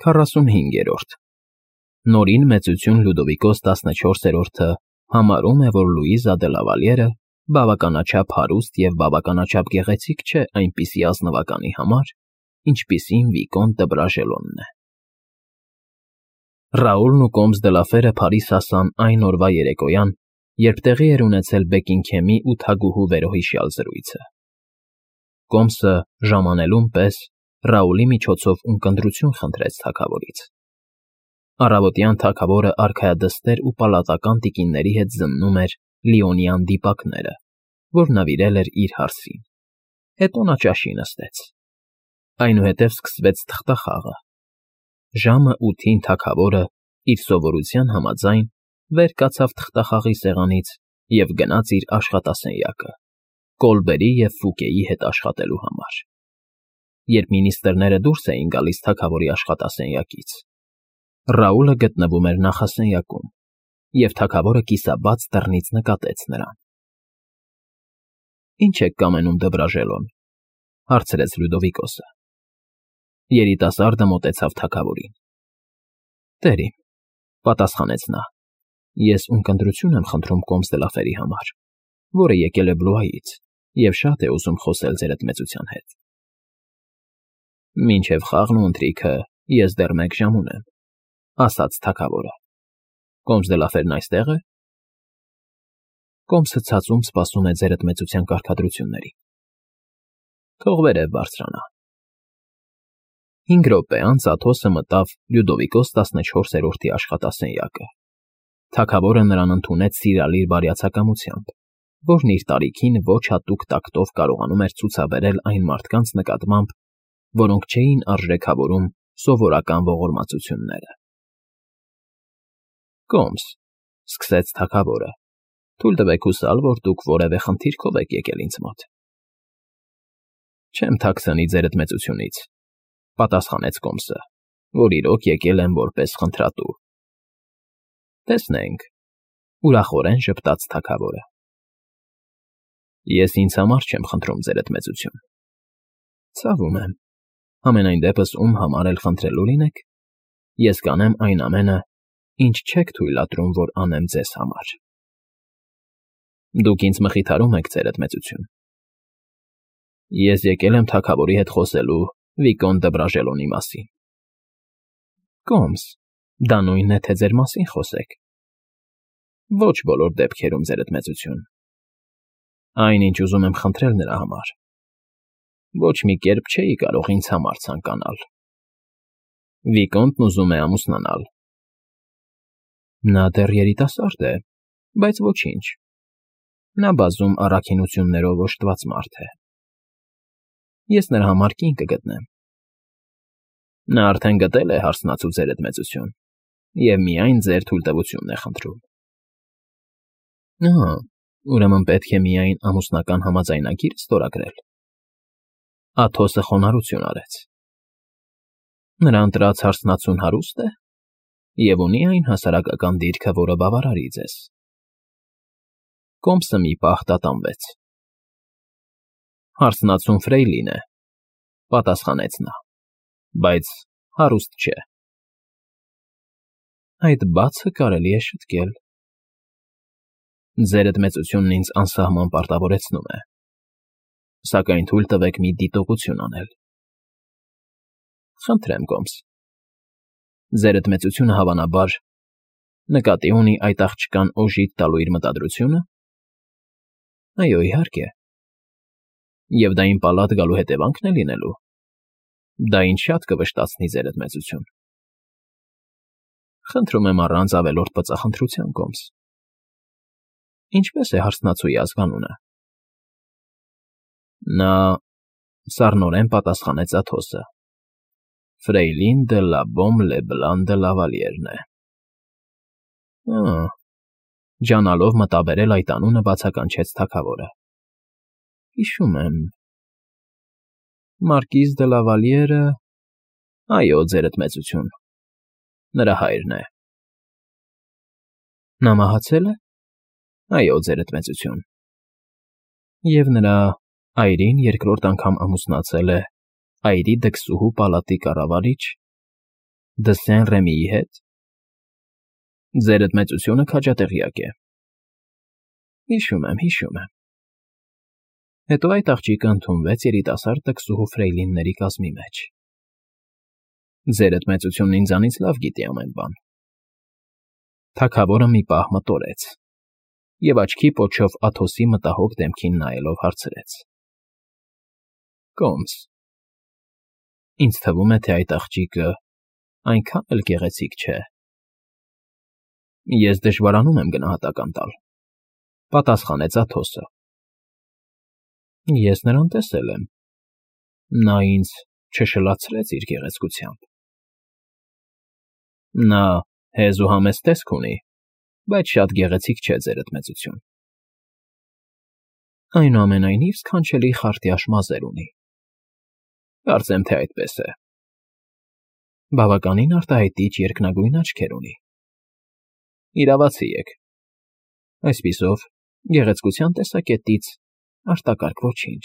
45-րդ Նորին մեծություն Լյուդովիկոս 14-րդը համարում է, որ Լուիզա դե Լավալյերը բավականաչափ հարուստ և բավականաչափ գեղեցիկ չէ այնպիսի ազնվականի համար, ինչպիսին Վիկոնտ դը Բրաժելոնն է։ Ռաուլն ու Կոմս դե Լաֆերը Փարիզ հասան այն օրվա երեկոյան, երբ տեղի էր ունեցել Բեկինգհեմի ու թագուհու վերոհիշյալ զրույցը։ Կոմսը ժամանելուն պես Ռաուլի միջոցով ունկնդրություն խնդրեց թագավորից։ Առավոտյան թագավորը արքայադստեր ու պալատական տիկինների հետ զննում էր լիոնյան դիպակները, որ նվիրել էր իր հարսին։ Հետո նա ճաշի նստեց։ Այնուհետև սկսվեց թղթախաղը։ Ժամը 8-ին թագավորը, իր սովորության համաձայն, վեր կացավ թղթախաղի սեղանից և գնաց իր աշխատասենյակը՝ Կոլբերի և Ֆուկեի հետ աշխատելու համար։ Երբ մինիստրները դուրս էին գալիս թագավորի աշխատասենյակից, Ռաուլը գտնվում էր նախասենյակում, և թագավորը կիսաբաց դռնից նկատեց նրան։ ֊ Ի՞նչ եք կամենում, դը Բրաժելոն,֊ հարցրեց Լյուդովիկոսը։ Երիտասարդը մոտեցավ թագավորին։ ֊ Տեր իմ,֊ պատասխանեց նա,֊ ես ունկնդրություն եմ խնդրում Կոմս դե Լաֆերի համար, որը եկել է Բլուայից և շատ է ուզում խոսել ձերդ մեծության հետ։ ֊ Մինչև խաղն ու ընթրիքը ես դեռ 1 ժամ ունեմ,֊ ասաց թագավորը։ Կոմս դե Լաֆերն այստե՞ղ է։ Կոմսը ցածում սպասում է ձերդ մեծության կարգադրություններին։ Թող վերև բարձրանա։ 5 րոպե անց Աթոսը մտավ Լյուդովիկոս 14-րդի աշխատասենյակը։ Թագավորը նրան ընդունեց սիրալիր բարյացակամությամբ, որն իր տարիքին ոչ հատուկ տակտով կարողանում էր ցուցաբերել այն մարդկանց նկատմամբ, որոնք չէին արժեքավորում սովորական ողորմածությունները։ ֊ Կոմս,֊ սկսեց թագավորը,֊ թույլ տվեք հուսալ, որ դուք որևէ խնդիրքով եք եկել ինձ մոտ։ ֊ Չեմ թաքցնի ձերդ մեծությունից,֊ պատասխանեց Կոմսը, որ իրոք եկել եմ որպես խնդրատու։ ֊ Տեսնենք,֊ ուրախորեն ժպտաց թագավորը։ ֊ Ես ինձ համար չեմ խնդրում, ձերդ մեծություն։ ֊ Ցավում եմ, համենայն դեպս ում համար էլ խնդրելու լինեք, ես կանեմ այն ամենը, ինչ չեք թույլատրում, որ անեմ ձեզ համար։ ֊ Դուք ինձ մխիթարում եք, ձերդ մեծություն։ Ես եկել եմ թագավորի հետ խոսելու Վիկոնտ դը Բրաժելոնի մասին։ ֊ Կոմս, դա նույնն է, թե ձեր մասին խոսեք։ ֊ Ոչ բոլոր դեպքերում, ձերդ մեծություն։ Այն, ինչ ուզում եմ խնդրել նրա համար, ոչ մի կերպ չէի կարող ինձ համար ցանկանալ։ Վիկոնտն ուզում է ամուսնանալ։ Նա դեռ երիտասարդ է, բայց ոչինչ։ Նա բազում առաքինություններով օժտված մարդ է։ Ես նրա համար կին կգտնեմ։ Նա արդեն գտել է հարսնացու, ձերդ մեծություն, և միայն ձեր թույլտվությունն է խնդրում։ Ահա, ուրեմն պետք է միայն ամուսնական համաձայնագիր ստորագրել։ Աթոսը խոնարհություն արեց։ Նրա ընտրած հարսնացուն հարուստ է և ունի այն հասարակական դիրքը, որը բավարարի ձեզ։ Կոմսը մի պահ տատանվեց։ Հարսնացուն ֆրեյլին է,֊ պատասխանեց նա,֊ բայց հարուստ չէ։ Այդ բացը կարելի է շտկել։ Ձերդ մեծությունն ինձ անսահման պարտավորեցնում է, սակայն թույլ տվեք մի դիտողություն անել։ Խնդրեմ, Կոմս։ Ձերդ մեծությունը, հավանաբար, նկատի ունի այդ աղջկան օժիտ տալու իր մտադրությո՞ւնը։ Այո, իհարկե։ Եվ դա իմ պալատ գալու հետևանքն է լինելու։ Դա ինձ շատ կվշտացնի, ձերդ մեծություն։ Խնդրում եմ առանց ավելորդ բծախնդրության, Կոմս։ Ինչպե՞ս է հարսնացուի ազգանունը։ Նա սառնորեն պատասխանեց Աթոսը։ Ֆրեյլին դը Լաբոմ Լեբլան դը Լավալիերն է։ Ջանալով մտաբերել այդ անունը բացականչեց թագավորը։ Հիշում եմ։ Մարկիզ դը Լավալիերը, այո, ձերդ մեծություն, նրա հայրն է։ Նա մահացել է։ Այո, ձերդ մեծություն։ Եվ նրա այրին երկրորդ անգամ ամուսնացել է այրի դքսուհու պալատի կառավարիչ։ Դսեն Ռեմիի հետ։ Ձերդ մեծությունը քաջատեղյակ է։ Հիշում եմ։ Հետո այդ աղջիկը ընդունվեց երիտասարդ տկսուհու ֆրեյլինների կազմի մեջ։ Ձերդ մեծությունն ինձանից լավ գիտի ամեն բան։ Թագավորը մի պահ մտորեց և աչքի պոչով Աթոսի մտահոգ դեմքին նայելով հարցրեց. Կոմս, ինձ թվում է, թե այդ աղջիկը այնքան էլ գեղեցիկ չէ։ Ես դժվարանում եմ գնահատական տալ, պատասխանեց Աթոսը։ Ես նրան տեսել եմ։ Նա ինձ չշլացրեց իր գեղեցկությամբ։ Նա հեզ ու համեստ տեսք ունի, բայց շատ գեղեցիկ չէ, ձերդ մեծություն։ Այնուամենայնիվ սքանչելի խարտյաշ մազեր ունի։ Կարծեմ, թե այդպես է։ Բավականին արտահայտիչ երկնագույն աչքեր ունի։ Իրավացի եք։ Այսպիսով, գեղեցկության տեսակետից արտակարգ ոչինչ։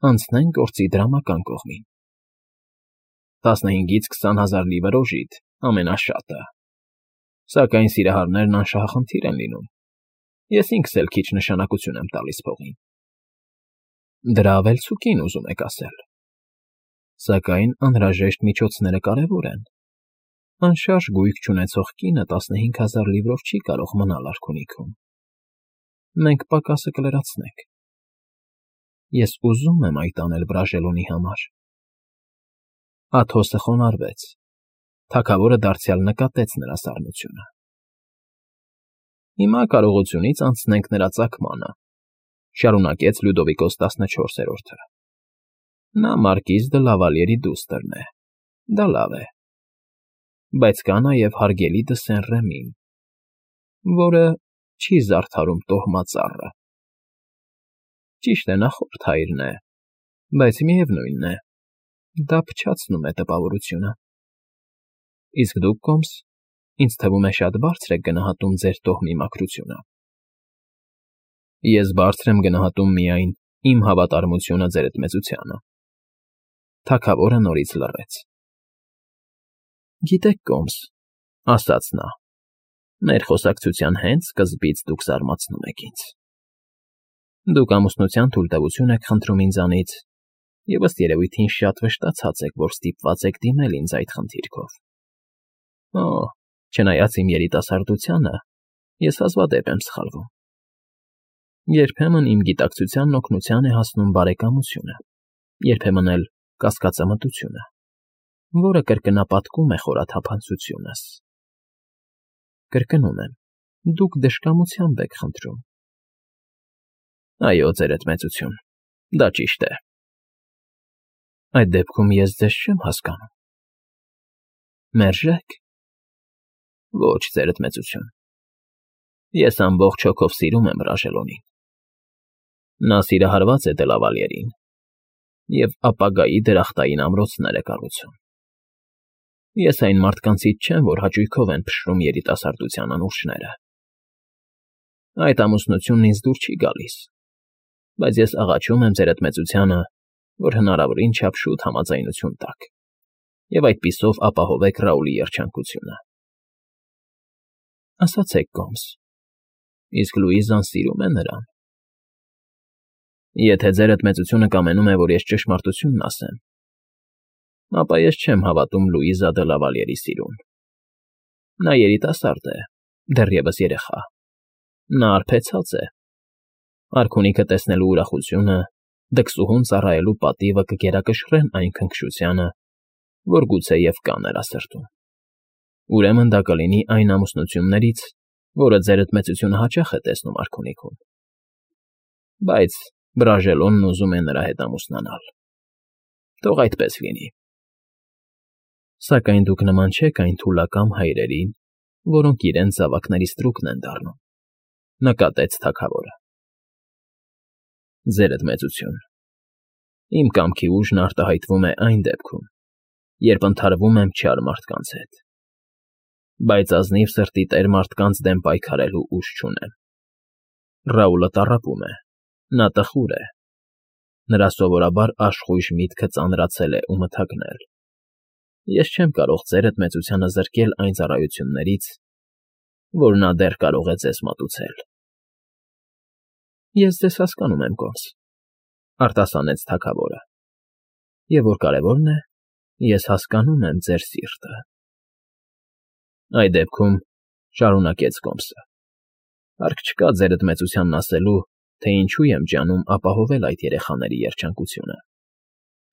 Անցնենք գործի դրամական կողմին։ 15-ից 20 հազար լիվր օժիտ ամենաշատը։ Սակայն սիրահարներն անշահախնդիր են լինում։ Ես ինքս էլ քիչ նշանակություն եմ տալիս փողին։ Դրա ավելցուկին ուզում եք ասել։ Սակայն անհրաժեշտ միջոցները կարևոր են։ Անշարժ գույք չունեցող կինը 15,000 լիվրով չի կարող մնալ արքունիքում։ Մենք պակասը կլրացնենք։ Ես ուզում եմ այդ անել Բրաժելոնի համար։ Աթոսը խոնարհվեց։ Թագավորը դարձյալ նկատեց նրա սառնությունը։ Հիմա կարողությունից անցնենք նրա ծագմանը, շարունակեց Լյուդովիկոս 14-րդը։ Նա մարկիզ դը Լավալիերի դուստրն է։ Դա լավ է։ Բայց կա նաև հարգելի Դսեն Ռեմին, որը չի զարդարում տոհմածառը։ Ճիշտ է, նա խորթ հայրն է, բայց միևնույն է, դա փչացնում է տպավորությունը։ Իսկ դուք, Կոմս, ինձ թվում է շատ բարձր եք գնահատում ձեր տոհմի մաքրությունը։ Ես բարձր եմ գնահատում միայն իմ հավատարմությունը ձերդ մեծությանը։ Թագավորը նորից լռեց։ Գիտեք, Կոմս, ասաց նա, մեր խոսակցության հենց սկզբից դուք զարմացնում եք ինձ։ Դուք ամուսնության թույլտվություն եք խնդրում ինձանից, և ըստ երևույթին շատ վշտացած եք, որ ստիպված եք դիմել ինձ այդ խնդիրքով։ Չնայած իմ երիտասարդությանը, ես հազվադեպ եմ սխալվում։ Երբեմն իմ գիտակցությանն օգնության է հասնում բարեկամությունը, երբեմն էլ կասկածամտությունը, որը կրկնապատկում է խորաթափանցությունս։ Կրկնում եմ, դուք դժկամությամբ եք խնդրում։ Այո, ձերդ մեծություն, դա ճիշտ է։ Այդ դեպքում ես ձեզ չեմ հասկանում։ Մերժեք։ Ոչ, ձերդ մեծություն։ Ես ամբողջ հոգով սիրում եմ Բրաժելոնին։ Նա սիրահարված է Դելավալիերին և ապագայի դրախտային ամրոցներ է կառուցում։ Ես այն մարդկանցից չեմ, որ հաճույքով են փշրում երիտասարդության անուրջները։ Այդ ամուսնությունն ինձ դուր չի գալիս, բայց ես աղաչում եմ ձերդ մեծությանը, որ հնարավորին չափ շուտ համաձայնություն տաք և այդպիսով ապահովեք Ռաուլի երջանկությունը։ Ասացեք, Կոմս, իսկ Լուիզան սիրում է նրան։ Եթե ձերդ մեծությունը կամենում է, որ ես ճշմարտությունն ասեմ, ապա ես չեմ հավատում Լուիզա դը Լավալիերի սիրուն։ Նա երիտասարդ է, դեռևս երեխա։ Նա արբեցած է։ Արքունիքը տեսնելու ուրախությունը, դքսուհուն ծառայելու պատիվը կգերակշռեն այն քնքշությանը, որ գուցեև կա նրա սրտում։ Ուրեմն դա կլինի այն ամուսնություններից, որը ձերդ մեծությունը հաճախ է տեսնում արքունիքում։ Բայց Բրաժելոնն ուզում է նրա հետ ամուսնանալ։ Թող այդպես լինի։ Սակայն դուք նման չեք այն թուլակամ հայրերին, որոնք իրենց զավակների ստրուկն են դառնում, նկատեց թագավորը։ Ձերդ մեծություն, իմ կամքի ուժն արտահայտվում է այն դեպքում, երբ ընդհարվում եմ չար մարդկանց հետ, բայց ազնիվ սրտի տեր մարդկանց դեմ պայքարելու ուժ չունեմ։ Ռաուլը տառապում է, նա տխուր է, նրա սովորաբար աշխույժ միտքը ծանրացել է ու մթագնել։ Ես չեմ կարող ձերդ մեծությանը զրկել այն ծառայություններից, որ նա դեռ կարող է ձեզ մատուցել։ Ես ձեզ հասկանում եմ, Կոմս, արտասանեց թագավորը, և որ կարևորն է, ես հասկանում եմ ձեր սիրտը։ Այդ դեպքում շարունակեց Կոմսը, հարկ չկա ձերդ մեծությանն ասելու, թե ինչու եմ ջանում ապահովել այդ երեխաների երջանկությունը,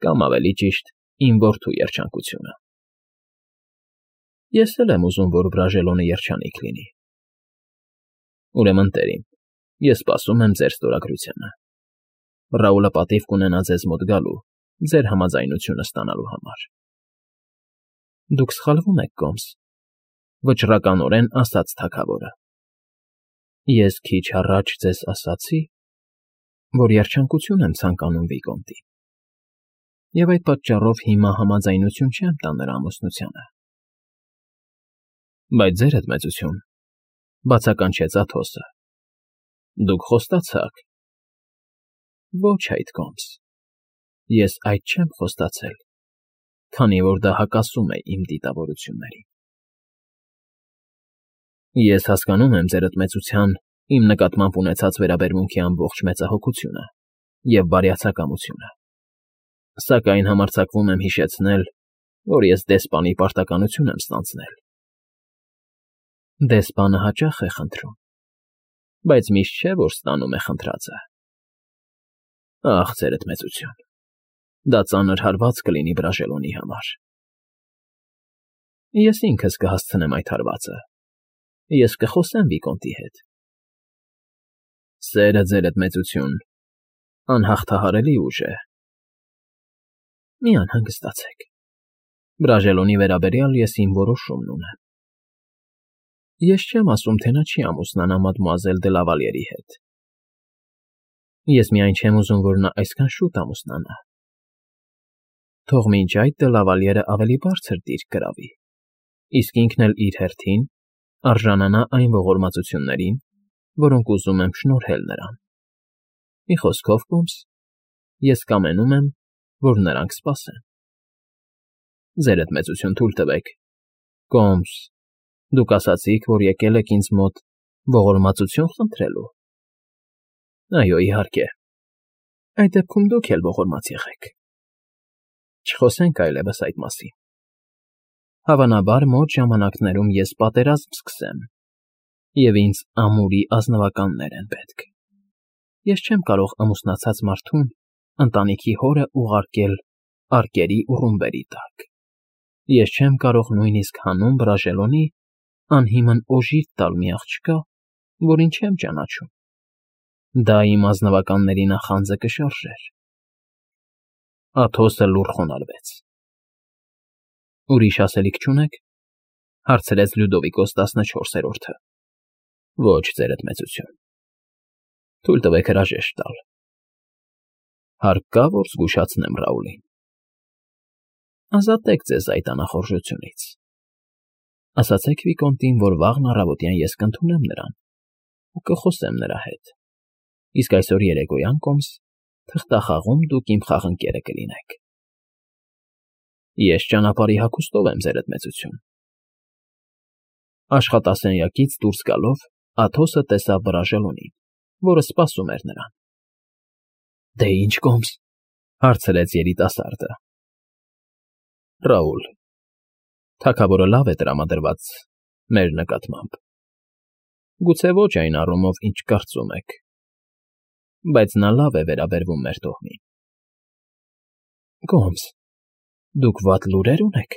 կամ ավելի ճիշտ, իմ որդու երջանկությունը։ Ես էլ եմ ուզում, որ Բրաժելոնը երջանիկ լինի։ Ուրեմն, տերին, ես սպասում եմ ձեր ստորագրությանը։ Ռաուլը պատիվ կունենա ձեզ մոտ գալու, ձեր համաձայնությունը ստանալու համար։ Դուք սխալվում եք, Կոմս, վճռականորեն ասաց թագավորը։ Ես քիչ առաջ ձեզ ասացի, որ երջանկություն եմ ցանկանում Վիկոնտին, և այդ պատճառով հիմա համաձայնություն չեմ տա նրա ամուսնությանը։ Բայց ձերդ մեծություն, բացականչեց Աթոսը, դուք խոստացաք։ Ոչ այդ, Կոմս, ես այդ չեմ խոստացել, քանի որ դա հակասում է իմ դիտավորություններին։ Ես հասկանում եմ ձերդ մեծության իմ նկատմամբ ունեցած վերաբերմունքի ամբողջ մեծահոգությունը և բարյացակամությունը, սակայն համարձակվում եմ հիշեցնել, որ ես դեսպանի պարտականություն եմ ստանձնել։ Դեսպանը հաճախ է խնդրում, բայց միշտ չէ, որ ստանում է խնդրածը։ Ախ, ձերդ մեծություն, դա ծանր հարված կլինի Բրաժելոնի համար։ Ես ինքս կհասցնեմ այդ հարվածը, ես կխոսեմ Վիկոնտի հետ։ Սերը, ձերդ մեծություն, անհաղթահարելի ուժ է։ Մի անհանգստացեք, Բրաժելոնի վերաբերյալ ես իմ որոշումն ունեմ։ Ես չեմ ասում, թե նա չի ամուսնանա մադմուազել դե Լավալիերի հետ։ Ես միայն չեմ ուզում, որ նա այսքան շուտ ամուսնանա։ Թող մինչ այդ դե Լավալիերը ավելի բարձր դիրք գրավի, իսկ ինքն էլ իր հերթին արժանանա այն ողորմածություններին, որոնք ուզում եմ շնորհել նրան։ Մի խոսքով, Կոմս, ես կամենում եմ, որ նրանք սպասեն։ Ձերդ մեծություն, թույլ տվեք, Կոմս, դուք ասացիք, որ եկել եք ինձ մոտ ողորմածություն խնդրելու։ Այո, իհարկե։ Այդ դեպքում դուք էլ ողորմած եղեք։ Չխոսենք այլևս այդ մասին։ Հավանաբար մոտ ժամանակներում ես պատերազմ սկսեմ, և ինձ ամուրի ազնվականներ են պետք։ Ես չեմ կարող ամուսնացած մարդուն ընտանիքի հորը ուղարկել արկերի ու ռումբերի տակ։ Ես չեմ կարող նույնիսկ հանուն Բրաժելոնի անհիմն օժիտ տալ մի աղջկա, որին չեմ ճանաչում։ Դա իմ ազնվականների նախանձը կշարժեր։ Աթոսը լուռ խոնարհվեց։ Ուրիշ ասելիք չունեք, հարցրեց Լյուդովիկոս 14-րդը։ Ոչ, ձերդ մեծություն։ Թույլ տվեք հրաժեշտ տալ։ Հարկ կա, որ զգուշացնեմ Ռաուլին։ Ազատեք ձեզ այդ անախորժությունից։ Ասացեք Վիկոնտին, որ վաղն առավոտյան ես կընդունեմ նրան ու կխոսեմ նրա հետ։ Իսկ այսօր երեկոյան, Կոմս, թղթախաղում դուք իմ խաղընկերը կլինեք։ Ես ճանապարհի հագուստով եմ, ձերդ մեծություն։ Աշխատասենյակից դուրս գալով Աթոսը տեսավ Բրաժելոնին, որը սպասում էր նրան։ Դե ինչ, Կոմս, հարցրեց երիտասարդը։ Ռաուլ, թագավորը լավ է տրամադրված մեր նկատմամբ։ Գուցե ոչ այն առումով, ինչ կարծում եք, բայց նա լավ է վերաբերվում մեր տոհմին։ Կոմս, դուք վատ լուրեր ունեք,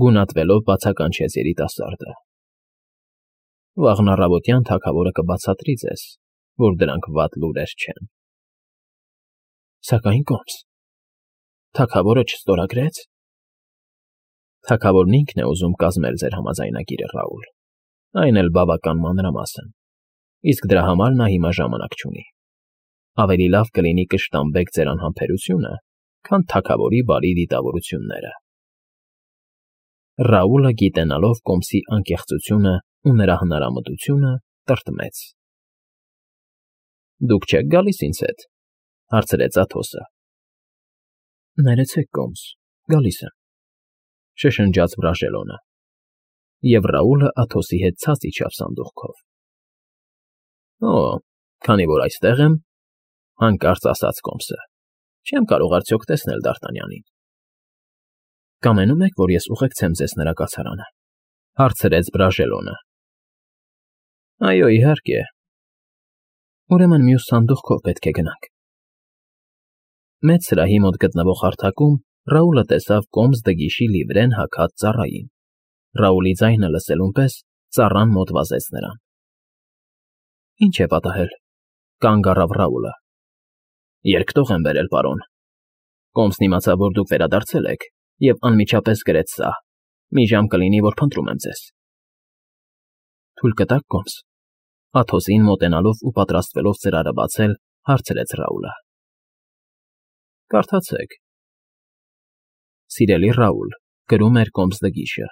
գունատվելով բացականչեց երիտասարդը։ Վաղն առավոտյան թագավորը կբացատրի ձեզ, որ դրանք վատ լուրեր չեն։ Սակայն, Կոմս, թագավորը չստորագրեց։ Թագավորն ինքն է ուզում կազմել ձեր համաձայնագիրը, Ռաուլ, այն էլ բավական մանրամասն, իսկ դրա համար նա հիմա ժամանակ չունի։ Ավելի լավ կլինի կշտամբեք ձեր անհամբերությունը, քան թագավորի բարի դիտավորությունները։ Ռաուլը, գիտենալով Կոմսի անկեղծությունը ու նրա հնարամտությունը, տրտմեց։ Դուք չեք գալիս ինձ հետ, հարցրեց Աթոսը։ Ներեցեք, Կոմս, գալիս եմ։ շշնջաց վրաժելոնը, և Ռաուլը Աթոսի հետ ցած իջավ սանդուղքով։ Օ, քանի որ այստեղ եմ, հանկարծ ասաց Կոմսը, չեմ կարող արդյոք տեսնել Դ'Արտանյանին։ Կամենում եք, որ ես ուղեկցեմ ձեզ նրա կացարանը, հարցրեց վրաժելոնը։ Այո, իհարկե։ Ուրեմն մյուս սանդուղքով պետք է գնանք։ Մեծ սրահի մոտ գտնվող հարթակում Ռաուլը տեսավ Կոմս դգիշի լիվրեն հագած ծառային։ Ռաուլի ձայնը լսելուն պես ծառան մոտ վազեց նրան։ Ինչ է պատահել, կանգ առավ Ռաուլը։ Երկտող եմ բերել, պարոն։ Կոմսն իմացավ, որ դուք վերադարձել եք, և անմիջապես գրեց սա. մի ժամ կլինի, որ փնտրում եմ ձեզ։ Թույլ կտաք, Կոմս։ Աթոսին մոտենալով ու պատրաստվելով ծրարը բացել, հարցրեց Ռաուլը։ Կարդացեք։ Սիրելի Ռաուլ, գրում էր Կոմս դգիշը,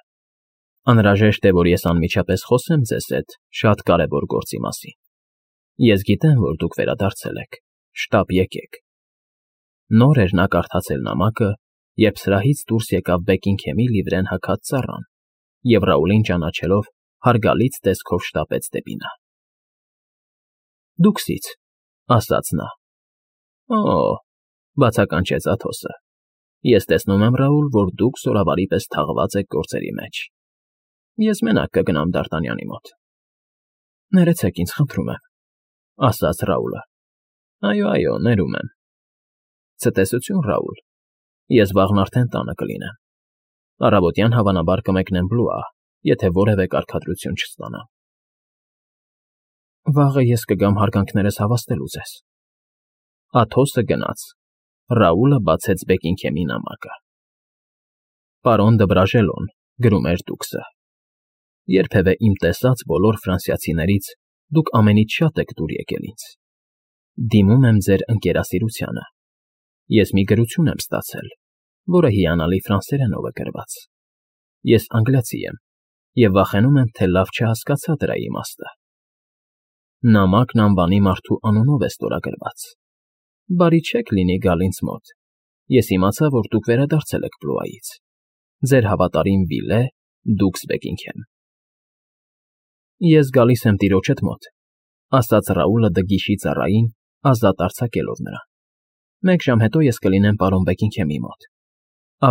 անհրաժեշտ է, որ ես անմիջապես խոսեմ ձեզ հետ շատ կարևոր գործի մասին։ Ես գիտեմ, որ դուք վերադարձել եք, շտապ եկեք։ Նոր էր նա կարդացել նամակը, երբ սրահից դուրս եկավ Բեկինգհեմի լիվրեն հագած ծառան, և Ռաուլին ճանաչելով հարգալից տեսքով շտապեց դեպի նա։ Դուքսից, ասաց նա։ Օ, բացականչեց Աթոսը։ Ես տեսնում եմ, Ռաուլ, որ դուք սորավարի պես թաղված եք գործերի մեջ։ Ես մենակ կգնամ Դ'Արտանյանի մոտ։ Ներեցեք ինձ, խնդրում եմ, ասաց Ռաուլը։ Այո, ներում եմ։ Ցտեսություն, Ռաուլ։ Ես վաղն արդեն տանը կլինեմ։ Առավոտյան հավանաբար կմեկնեմ Բլուա, եթե որևէ կարգադրություն չստանամ։ Վաղը ես կգամ հարգանքներս հավաստելու ձեզ։ Աթոսը գնաց։ Ռաուլը բացեց Բեկինգհեմի նամակը։ Պարոն դը Վրաժելոն, գրում էր դուքսը։ Երբևէ իմ տեսած բոլոր ֆրանսիացիներից դուք ամենից շատ եք դուր եկել ինձ։ Դիմում եմ ձեր ընկերասիրությանը։ Ես մի գրություն եմ ստացել, որը հիանալի ֆրանսերենով է գրված։ Ես անգլիացի եմ և վախենում եմ, թե լավ չհասկացա դրա իմաստը։ Նամակն անվանի մարդու անունով է ստորագրված։ Բարի չէք լինի գալ ինձ մոտ։ Ես իմացա, որ դուք վերադարձել եք Բլուայից։ Ձեր հավատարիմ Վիլե, դուքս Բեկինգհեմ։ Ես գալիս եմ տիրոջդ մոտ, ասաց Ռաուլը դգիշի ծառային, ազատ արձակելով նրան։ Մեկ ժամ հետո ես կլինեմ պարոն Բեկինգհեմի մոտ,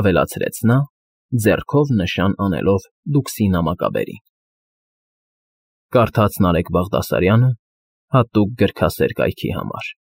ավելացրեց նա, ձեռքով նշան անելով դուքսի նամակաբերին։ Կարդաց Նարեկ Բաղդասարյանը հատուկ գրքասեր կայքի համար։